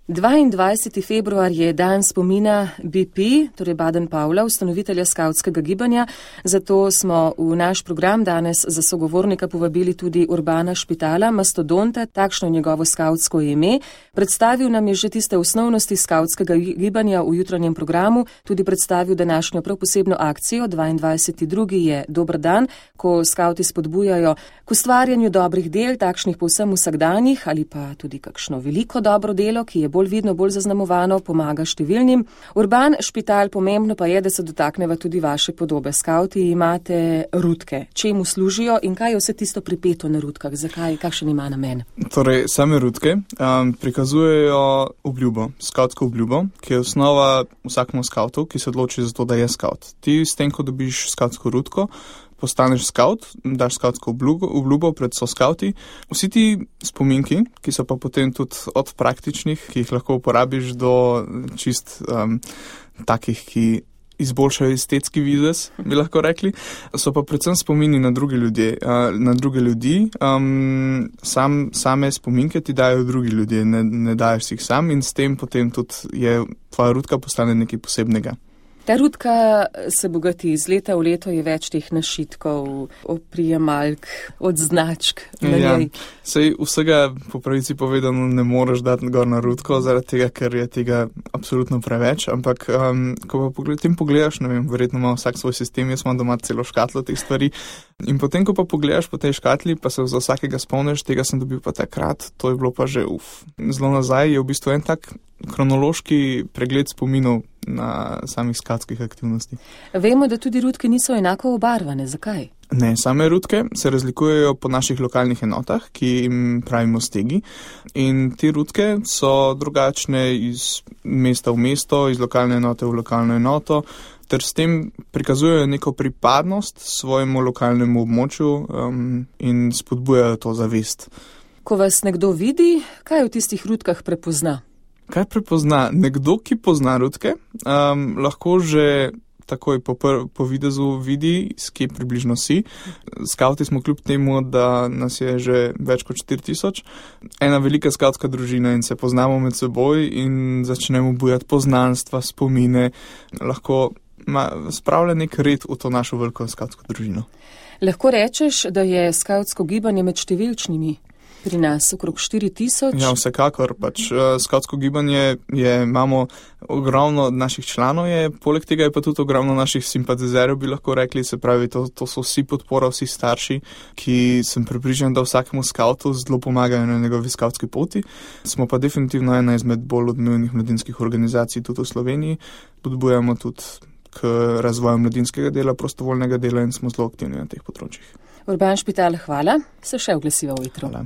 22. februar je dan spomina BP, torej Baden-Powella, ustanovitelja skavtskega gibanja, zato smo v naš program danes za sogovornika povabili tudi Urbana Špitala, mastodonta, takšno njegovo skavtsko ime. Predstavil nam je že tiste osnovnosti skavtskega gibanja v jutranjem programu, tudi predstavil današnjo prav posebno akcijo. 22.2. je dober dan, ko skavti spodbujajo k ustvarjanju dobrih del, takšnih povsem vsakdanjih ali pa tudi kakšno veliko dobro delo, ki je bolj vidno, bolj zaznamovano, pomaga številnim. Urban Špital, pomembno pa je, da se dotakneva tudi vaše podobe. Skavti imate rutke. Čemu služijo in kaj je vse tisto pripeto na rutkah? Zakaj? Kakšen ima namen? Torej, same rutke prikazujejo obljubo, skavtsko obljubo, ki je osnova vsakemu skavtu, ki se odloči za to, da je skavt. Ti s tem, ko dobiš skavtsko rutko, postaneš skavt, daš skavtsko obljubo pred soskavti. Vsi ti spominki, ki so pa potem tudi od praktičnih, ki jih lahko uporabiš, do čist takih, ki izboljšajo estetski videz, bi lahko rekli, so pa predvsem spomini na druge ljudi. Same spominke ti dajo drugi ljudje, ne daješ si jih sam in s tem potem tudi tvoja rutka postane nekaj posebnega. Ta rutka se bogati iz leta v leto, je več teh našitkov, oprijemalk, odznačk na njej. Sej vsega po pravici povedano ne moreš dati gor na rutko, zaradi tega, ker je tega absolutno preveč, ampak ko pa tem pogledaš, ne vem, verjetno ima vsak svoj sistem, jaz imam doma celo škatlo teh stvari in potem, ko pa pogledaš po tej škatli, pa se za vsakega spomniš, tega sem dobil pa takrat, to je bilo pa že zelo nazaj, je v bistvu en tak kronološki pregled spominov na samih skavtskih aktivnosti. Vemo, da tudi rutke niso enako obarvane. Zakaj? Ne, same rutke se razlikujejo po naših lokalnih enotah, ki jim pravimo stegi. In te rutke so drugačne iz mesta v mesto, iz lokalne enote v lokalno enoto, ter s tem prikazujejo neko pripadnost svojemu lokalnemu območju in spodbujajo to zavest. Ko vas nekdo vidi, kaj v tistih rutkah prepozna? Kaj prepozna? Nekdo, ki pozna rutke, lahko že takoj po videzu vidi, s kje približno si. Skavti smo kljub temu, da nas je že več kot 4000, ena velika skavtska družina in se poznamo med seboj in začnemo bujati poznanstva, spomine, lahko spravlja nek red v to našo veliko skavtsko družino. Lahko rečeš, da je skavtsko gibanje med številčnimi? Pri nas okrog 4000. Ja, vsekakor. Skavtsko gibanje imamo ogromno naših članov, poleg tega je pa tudi ogromno naših simpatizerjev, bi lahko rekli, se pravi, to so vsi podpora, vsi starši, ki sem prepričan, da vsakemu skavtu zelo pomagajo na njegovi skavtski poti. Smo pa definitivno ena izmed bolj odmevnih mladinskih organizacij tudi v Sloveniji. Podbujamo tudi k razvoju mladinskega dela, prostovoljnega dela in smo zelo aktivni na teh področjih. Urban Špital, hvala. Se še oglasiva v jutro. Hvala.